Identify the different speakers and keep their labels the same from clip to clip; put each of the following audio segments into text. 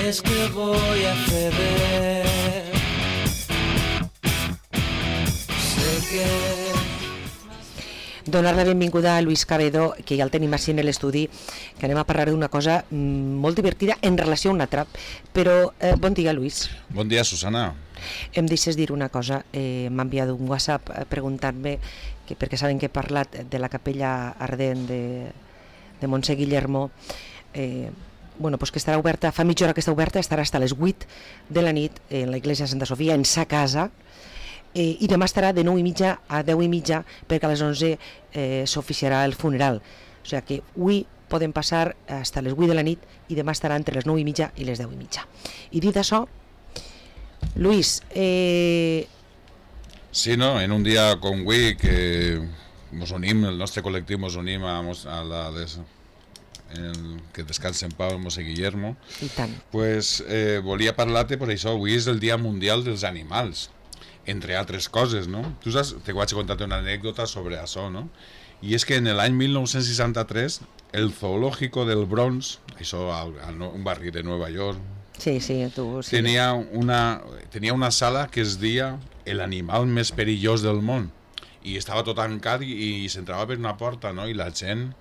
Speaker 1: es que voy a ceder. Sé que...
Speaker 2: Donar la benvinguda a Luis Cabedo, que ja el tenim així en l'estudi, que anem a parlar d'una cosa molt divertida en relació a una altra. Però bon dia, Luis.
Speaker 3: Bon dia, Susana.
Speaker 2: Em deixes dir una cosa. M'ha enviat un WhatsApp preguntant-me, perquè saben que he parlat de la capella ardent de Montse Guillermo, pues que estarà oberta, fa mitja hora que està oberta, estarà fins a les 8 de la nit en la Iglesia Santa Sofia, en sa casa, i demà estarà de 9:30 a 10:30 perquè a les 11 s'oficiarà el funeral. O sigui que avui podem passar fins a les 8 de la nit i demà estarà entre les 9:30 i les 10:30. I dit això, Luis...
Speaker 3: Sí, no? En un dia com avui que mos unim, el nostre col·lectiu mos unim a la que descansa en pau el Montse Guillermo,
Speaker 2: i tant.
Speaker 3: Pues volia parlar-te per això. Avui és el Dia Mundial dels Animals, entre altres coses, no? Tu saps, te vaig a contar una anècdota sobre això, no? I és que en l'any 1963 el Zoológico del Bronx, això un barri de Nova York,
Speaker 2: sí, tu, sí.
Speaker 3: tenia una sala que es deia el animal més perillós del món, i estava tot tancat i s'entrava per una porta, no? I la gent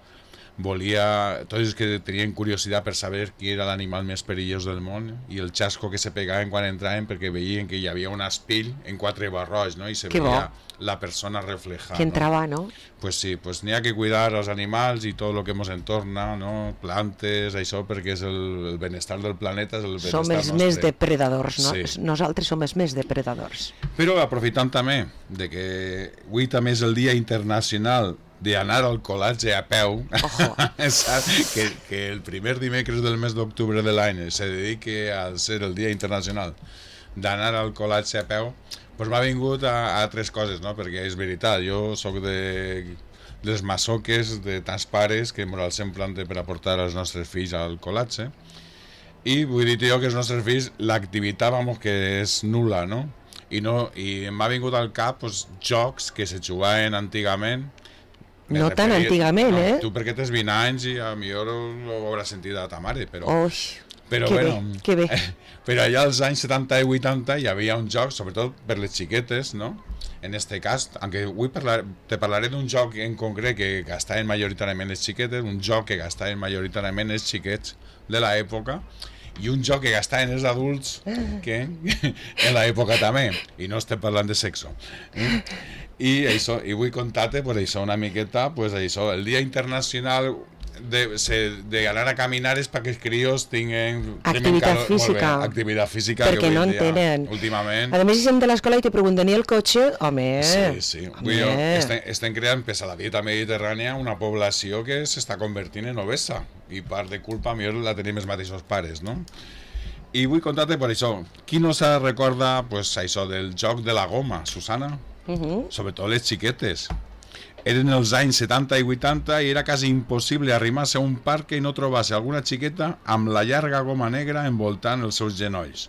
Speaker 3: volia, tots els que tenien curiositat per saber qui era l'animal més perillós del món, i el xasco que se pegaven quan entraven perquè veien que hi havia un espill en 4 barrots, no? I se veia la persona reflejada,
Speaker 2: que entrava, no?
Speaker 3: Pues sí, pues n'hi ha que cuidar els animals i tot el que ens entorna, no? Plantes, això, perquè és el benestar del planeta, és el benestar
Speaker 2: nostre. Som els més depredadors, no? Sí. Nosaltres som els més depredadors.
Speaker 3: Però aprofitant també de que avui també és el Dia Internacional d'anar al col·latge a peu, que el primer dimecres del mes d'octubre de l'any se dediqui a ser el Dia Internacional d'anar al col·latge a peu, doncs m'ha vingut a 3 coses, no? Perquè és veritat, jo sóc dels masoques de tants pares que ens els emplanten per aportar els nostres fills al col·latge, i vull dir jo que els nostres fills l'activitat, que és nul·la, no? I m'ha vingut al cap jocs que se jugaven antigament.
Speaker 2: No tan antigament,
Speaker 3: no, tu perquè tens 20 anys i a millor ho hauràs sentit a ta mare, però
Speaker 2: que bé.
Speaker 3: Però allà als anys 70 i 80 hi havia un joc, sobretot per les xiquetes, no? En este cas, aunque avui te parlaré d'un joc en concret que gastaven majoritàriament les xiquetes, un joc que gastaven majoritàriament els xiquets de l'època, i un joc que gastaven els adults que en l'època també, i no estem parlant de sexo. I vull contar-te una miqueta, el Dia Internacional d'anar a caminar és perquè els crios tinguin
Speaker 2: activitat física, perquè no en tenen
Speaker 3: últimament.
Speaker 2: A més, si som de l'escola i te pregunten i el cotxe, home.
Speaker 3: Sí. Estem creant, pels a la dieta mediterrània, una població que s'està convertint en obesa, i part de culpa millor la tenim els mateixos pares, no? I vull contar-te per això. Qui no se recorda això del joc de la goma, Susana? Sobretot les xiquetes. Eren els anys 70 i 80 i era quasi impossible arrimar-se a un parc i no trobar-se alguna xiqueta amb la llarga goma negra envoltant els seus genolls,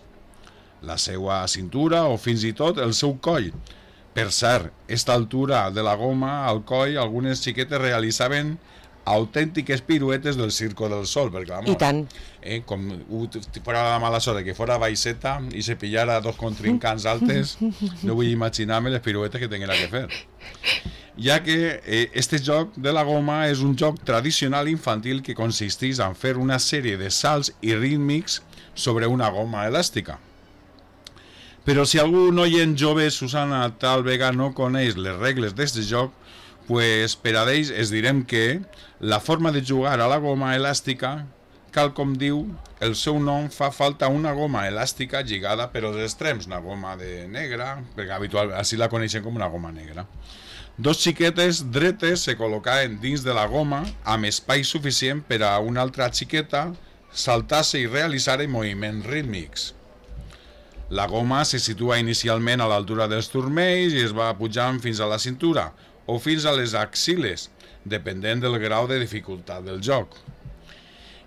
Speaker 3: la seva cintura o fins i tot el seu coll. Per cert, a aquesta altura de la goma al coll, algunes xiquetes realitzaven autèntiques piruetes del Circo del Sol, perquè
Speaker 2: i tant.
Speaker 3: Com fora la mala sort que fora baixeta i se pillara 2 contrincants altes, no vull imaginar-me les piruetes que tinguera que fer. Ja que este joc de la goma és un joc tradicional infantil que consisteix en fer una sèrie de salts i rítmics sobre una goma elàstica. Però si algú noient jove, Susana, tal vegada no coneix les regles d'aquest joc, pues per a ells es direm que la forma de jugar a la goma elàstica, tal com diu el seu nom, fa falta una goma elàstica lligada per als extrems, una goma de negra, perquè habitualment així la coneixen com una goma negra. 2 xiquetes dretes se col·locaven dins de la goma amb espai suficient per a una altra xiqueta saltar-se i realitzar moviments rítmics. La goma se situa inicialment a l'altura dels turmells i es va pujant fins a la cintura o fins a les axiles, depenent del grau de dificultat del joc.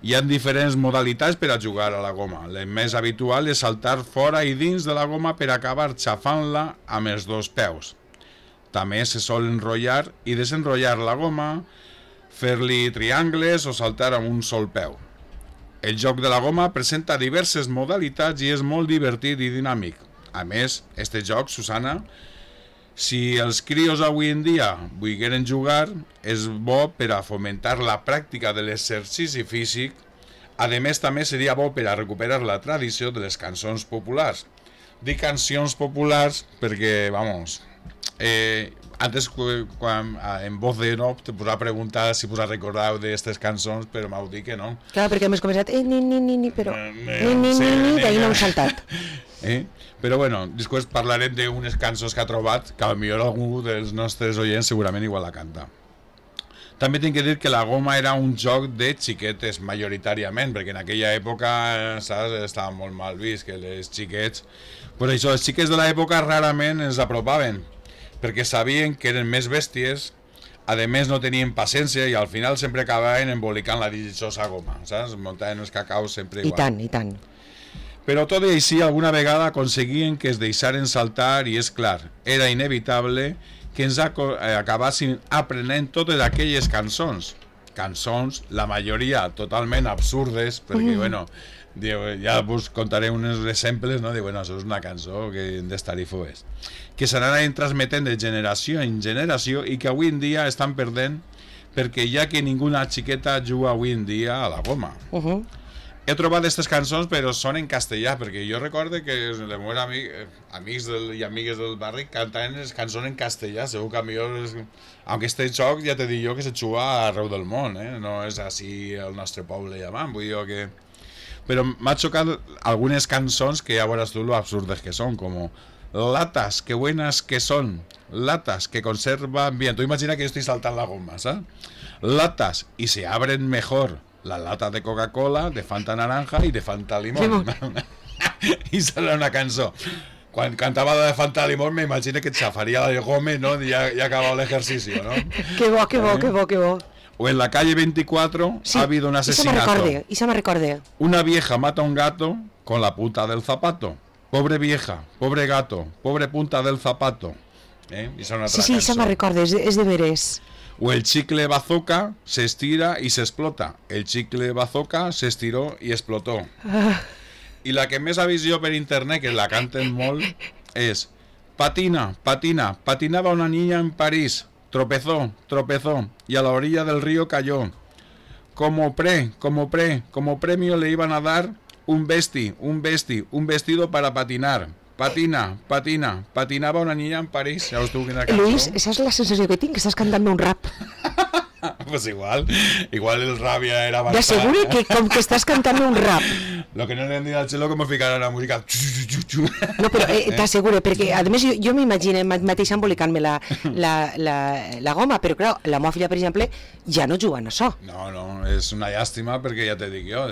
Speaker 3: Hi ha diferents modalitats per a jugar a la goma. La més habitual és saltar fora i dins de la goma per acabar xafant-la amb els 2 peus. També se sol enrotllar i desenrotllar la goma, fer-li triangles o saltar amb un sol peu. El joc de la goma presenta diverses modalitats i és molt divertit i dinàmic. A més, este joc, Susana, si els crios avui en dia volgueren jugar, és bo per a fomentar la pràctica de l'exercici físic. A més, també seria bo per a recuperar la tradició de les cançons populars. Dic cancions populars perquè, vamos, antes quan en voz de no te posava a preguntar si us recordeu d'aquestes cançons, però m'heu dit que no.
Speaker 2: Clar, perquè hem començat ni, però d'ahir no hem saltat.
Speaker 3: Però bueno, després parlarem d'unes cançons que ha trobat, que potser algú dels nostres oients segurament igual la canta. També tinc que dir que la goma era un joc de xiquetes majoritàriament, perquè en aquella època, saps, estava molt mal vist que les xiquets... Per això, els xiquets de l'època rarament ens apropaven, perquè sabien que eren més bèsties, a més no tenien paciència i al final sempre acabaven embolicant la dichosa goma, saps? Muntaven els cacaus sempre igual.
Speaker 2: I tant.
Speaker 3: Però tot i així, alguna vegada aconseguien que es deixaren saltar i, és clar, era inevitable que ens acabassin aprenent totes aquelles cançons. Cançons, la majoria totalment absurdes, perquè, bueno, ja us contaré uns exemples, no? Bueno, això és una cançó que hem d'estar-hi foes. Que s'anaven transmetent de generació en generació i que avui en dia estan perdent perquè ja que ninguna xiqueta juga avui en dia a la goma. He trobat aquestes cançons, però són en castellà, perquè jo recordo que els meus amics i amigues del barri cantaven les cançons en castellà. Segur que millor... Aunque este joc ja te dic jo que se juga arreu del món, no és així el nostre poble llamant, vull dir que... Però m'ha xocat algunes cançons que ja veuràs tu lo absurdes que són, com latas, que buenas que son, latas que conservan bien. Tu imagina que yo estoy saltando la goma, ¿sabes? Latas y se abren mejor. La lata de Coca-Cola, de Fanta naranja i de Fanta limón. I serà una cançó. Quan cantava la de Fanta limón m'imagino que et xafaria la de gome, no? I ja acabava l'exercici, ¿no?
Speaker 2: Que bo.
Speaker 3: O en la calle 24 sí, ha habido un asesinato.
Speaker 2: Y se me recordé.
Speaker 3: Una vieja mata a un gato con la punta del zapato. Pobre vieja, pobre gato, pobre punta del zapato. I són una altra
Speaker 2: cançó. Se me recordé, és de veres.
Speaker 3: O el chicle bazooka se estira y se explota. El chicle bazooka se estiró y explotó. I la que més ha vist jo per internet, que la canten molt, és patinaba una niña en París, tropezó, y a la orilla del río cayó. Como premio le iban a dar un vestido para patinar. Patinava una niña en París. Ja tu quina cançó.
Speaker 2: Luis, esa és la sensació que tinc, que estàs cantant un rap.
Speaker 3: Pues igual el rap ja era bastant.
Speaker 2: T'asseguro que com que estàs cantant un rap.
Speaker 3: Lo que no le han dit al xelo com ficarà la música.
Speaker 2: No, però t'asseguro, perquè a més jo m'imagino mateix embolicant-me la goma, però clar, la meva filla, per exemple, ja no juga en això.
Speaker 3: No, és una llàstima perquè ja te dic jo.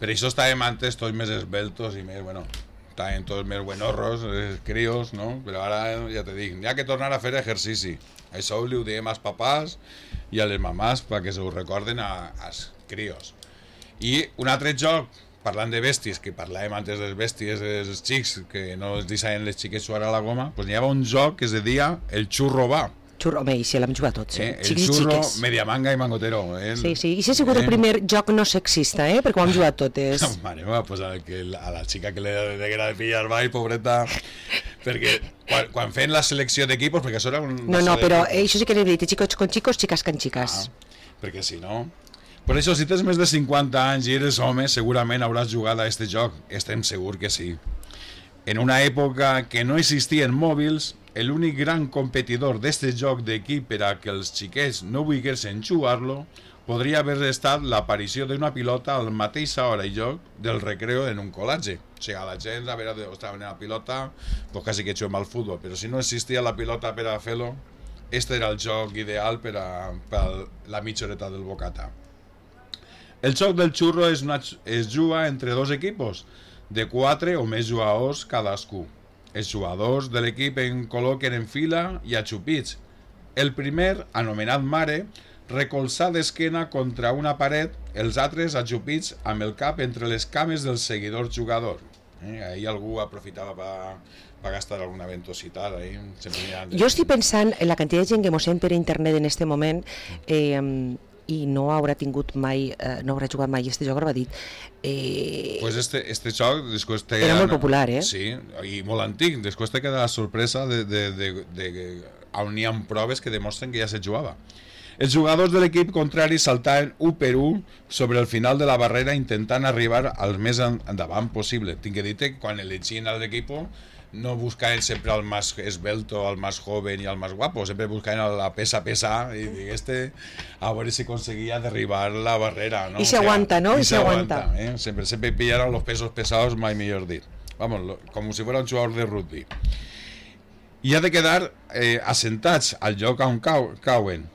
Speaker 3: Per això estàvem antes tots més esbeltos i més, bueno... Estaven tots més buenorros, els crios, no? Però ara ja te dic, hi ha que tornar a fer exercici. Això li ho diem als papàs i a les mamàs perquè se ho recorden als crios. I un altre joc, parlant de bèsties, que parlàvem antes de les bèsties dels xics, que no es deixaven les xiques jugar a la goma, doncs hi havia un joc que es deia el xurro va.
Speaker 2: Home, i si l'hem jugat tots,
Speaker 3: el xurro, Mediamanga i Mangotero.
Speaker 2: Sí, i si ha sigut el primer joc no sexista, perquè ho hem jugat totes.
Speaker 3: Mare meva, pues a la xica que le deguera de pillar ball, pobreta, perquè quan feien la selecció d'equipos, perquè això era un...
Speaker 2: No, però això sí que he dit, chicos con chicos, chicas con chicas.
Speaker 3: Perquè si no... Per això, si tens més de 50 anys i eres home, segurament hauràs jugat a este joc. Estem segur que sí. En una època que no existien mòbils, l'únic gran competidor d'este joc d'equip per a que els xiquets no volguessin jugar-lo podria haver estat l'aparició d'una pilota a la mateixa hora i lloc del recreo en un col·legi. O sigui, la gent, a veure, estava en la pilota, pues quasi que juguem al futbol, però si no existia la pilota per a fer-lo, este era el joc ideal per a la mitja horeta del bocata. El joc del xurro es juga entre dos equipos, de 4 o més jugadors cadascú. Els jugadors de l'equip en col·loquen en fila i achupits. El primer, anomenat mare, recolzar d'esquena contra una paret, els altres achupits amb el cap entre les cames del seguidor jugador. Ahí algú aprofitava per gastar alguna ventositat.
Speaker 2: Jo estic pensant en la quantitat de gent que mos sent per internet en este moment, i no haurà tingut mai, no haurà jugat mai este joc, ara va dit.
Speaker 3: Pues este joc després té...
Speaker 2: Era molt popular,
Speaker 3: Sí, i molt antic. Després te queda la sorpresa de on hi ha proves que demostren que ja se jugava. Els jugadors de l'equip contrari saltaven 1 per 1 sobre el final de la barrera intentant arribar al més endavant possible. Tinc que dir que quan elegien a l'equip no buscaven sempre al más esbelto, al más joven y al más guapo, sempre buscaven a la pesa i a veure si conseguia derribar la barrera, ¿no?
Speaker 2: Y se aguanta, ¿no?
Speaker 3: Y se aguanta. Siempre pillaron los pesos pesados, mai millor dit. Vamos, como si fuera un jugador de rugby. I ha de quedar assentats al lloc on cauen.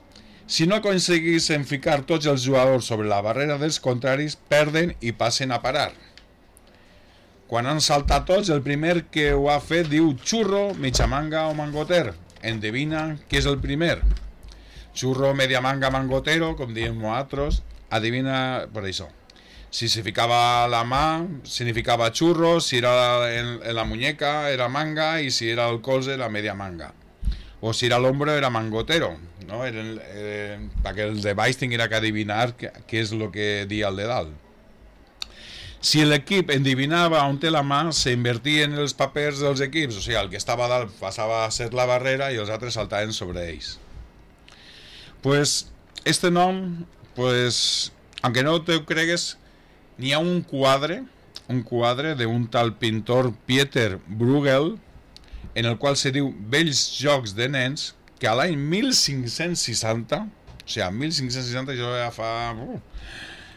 Speaker 3: Si no aconseguissin ficar tots els jugadors sobre la barrera dels contraris, perden i passen a parar. Quan han saltat tots, el primer que ho ha fet diu xurro, mitja manga o mangoter. Endevina què és el primer. Xurro, media manga, mangotero, com diem nosaltres, adivina per això. Si se ficava la mà, significava xurro, si era en la muñeca era manga i si era el colze era media manga. O si era l'hombro era mangotero, no? Perquè el de baix tinguera que adivinar què és el que dia el de dalt. Si l'equip endivinava on té la mà, s'invertien els papers dels equips, o sigui, el que estava a dalt passava a ser la barrera i els altres saltaven sobre ells. Pues, este nom, pues, aunque no te ho cregues, n'hi ha un quadre d'un tal pintor Pieter Bruegel, en el qual se diu Vells jocs de nens, que a l'any 1560, o sigui, 1560 jo ja fa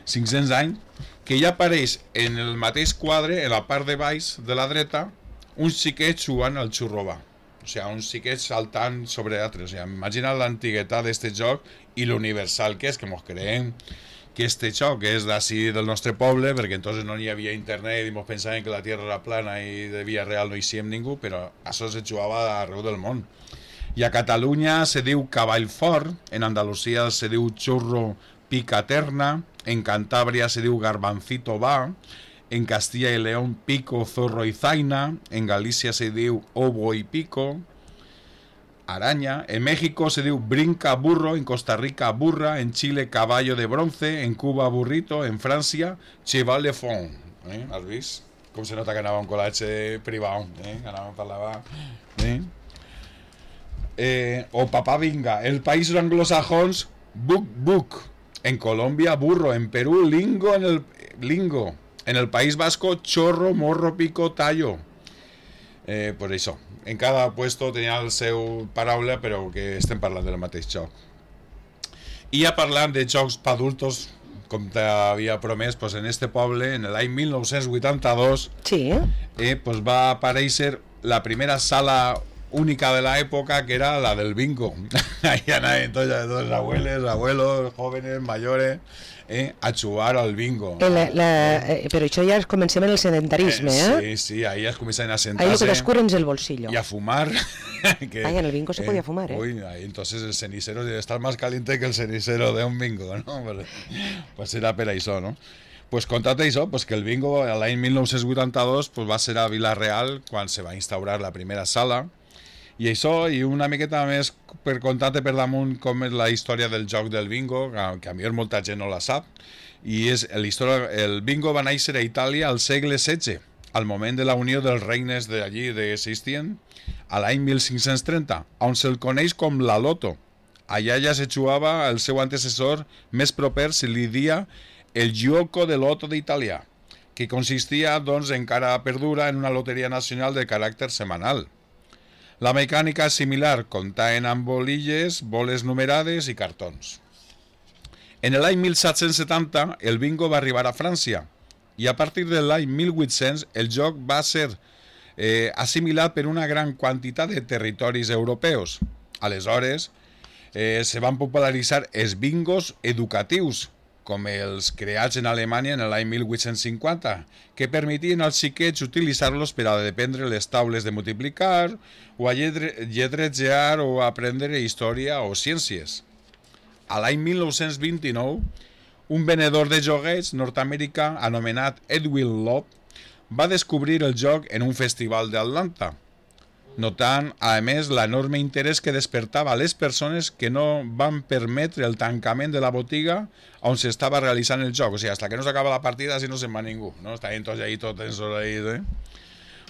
Speaker 3: 500 anys, que ja apareix en el mateix quadre, en la part de baix de la dreta, uns xiquets jugant al xurrobà. O sigui, uns xiquets saltant sobre altres. O sigui, imagina l'antiguitat d'este joc i l'universal que és, que mos creiem que este joc és d'ací del nostre poble, perquè entonces no hi havia internet i mos pensaven que la Tierra era plana i de Via Real no hi siem ningú, però això se jugava arreu del món. I a Catalunya se diu cavall fort, en Andalusia se diu xurro picaterna, en Cantabria se diu garbancito va, en Castilla y León pico, zorro y zaina, en Galicia se diu obo y pico, araña, en México se diu brinca burro, en Costa Rica burra, en Chile caballo de bronce, en Cuba burrito, en Francia cheval de fond. Has vist? Com se nota que anava a un col·legi privat, anava a parlar... o papá vinga, el país anglosajons buc, en Colombia burro, en Perú lingo, en el País Vasco chorro, morro, pico, tallo. Por això, en cada puesto tenia el seu paraula, però que estem parlant del mateix joc. I ja parlant de jocs per adultos, com t'havia promès, pues en este poble, en l'any 1982,
Speaker 2: sí.
Speaker 3: Pues va aparèixer la primera sala única de la época, que era la del bingo. Ahí anaven tots abuelos, jóvenes, mayores, a jugar al bingo.
Speaker 2: Però això ja comencem en el sedentarisme,
Speaker 3: Sí, ahí es comencen a sentarse.
Speaker 2: Ahí lo que descubren el bolsillo.
Speaker 3: Y a fumar.
Speaker 2: En el bingo se podía fumar,
Speaker 3: Uy, ahí entonces el cenicero debe estar más caliente que el cenicero de un bingo, ¿no? Pues era per això, ¿no? Pues contate això, pues que el bingo l'any 1982 pues va ser a Vila-real quan se va instaurar la primera sala. I això, i una miqueta més per contar-te per damunt com és la història del joc del bingo, que a millor molta gent no la sap, i és el bingo va néixer a Itàlia al segle XVI, al moment de la unió dels regnes d'allí que existien, a l'any 1530, on se'l coneix com la loto. Allà ja se jugava el seu antecessor més proper, se li dia el gioco de loto d'Itàlia, que consistia, doncs, encara perdura en una loteria nacional de caràcter setmanal. La mecànica és similar, comptaven amb bolilles, boles numerades i cartons. En l'any 1770 el bingo va arribar a França i a partir de l'any 1800 el joc va ser assimilat per una gran quantitat de territoris europeus. Aleshores se van popularitzar els bingos educatius, com els creats en Alemanya en l'any 1850, que permetien als xiquets utilitzar-los per a dependre les taules de multiplicar, o a lletrejar o a aprendre història o ciències. A l'any 1929, un venedor de joguets nord-americà anomenat Edwin Love va descobrir el joc en un festival d'Atlanta. notant, a més, l'enorme interès que despertava a les persones que no van permetre el tancament de la botiga on s'estava realitzant el joc. O sigui, fins que no s'acaba la partida, si no se'n va ningú. No? Estaven tots allà, tots ensorraïts.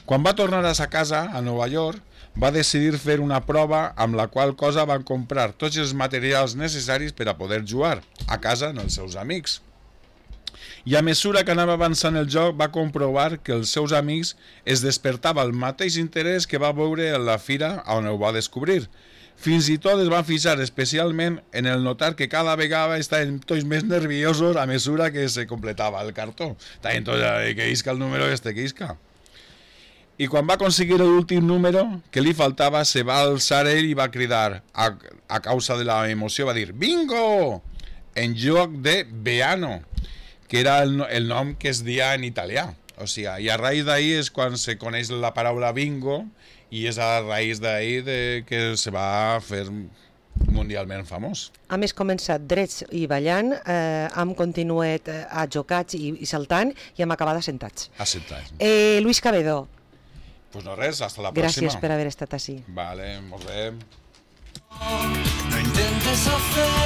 Speaker 3: Quan va tornar a sa casa, a Nova York, va decidir fer una prova amb la qual cosa van comprar tots els materials necessaris per a poder jugar a casa amb els seus amics. I a mesura que anava avançant el joc va comprovar que els seus amics es despertava el mateix interès que va veure en la fira on ho va descobrir. Fins i tot es van fixar especialment en el notar que cada vegada estaven tots més nerviosos a mesura que se completava el cartó. Estaven tots que isca el número que isca. I quan va aconseguir l'últim número que li faltava, se va alçar ell i va cridar, a causa de la emoció, va dir «Bingo!» en lloc de «Beano», que era el nom que es dia en italià. O sigui, i a raïs d'ahir és quan se coneix la paraula bingo i és a raïs d'ahir que se va fer mundialment famós.
Speaker 2: Hem començat drets i ballant, hem continuat jocats i saltant i hem acabat assentats.
Speaker 3: Assentats.
Speaker 2: Luis Cabedo.
Speaker 3: Pues no res, hasta la pròxima.
Speaker 2: Gràcies per haver estat així.
Speaker 3: Vale, molt bé.
Speaker 1: No intentes hacer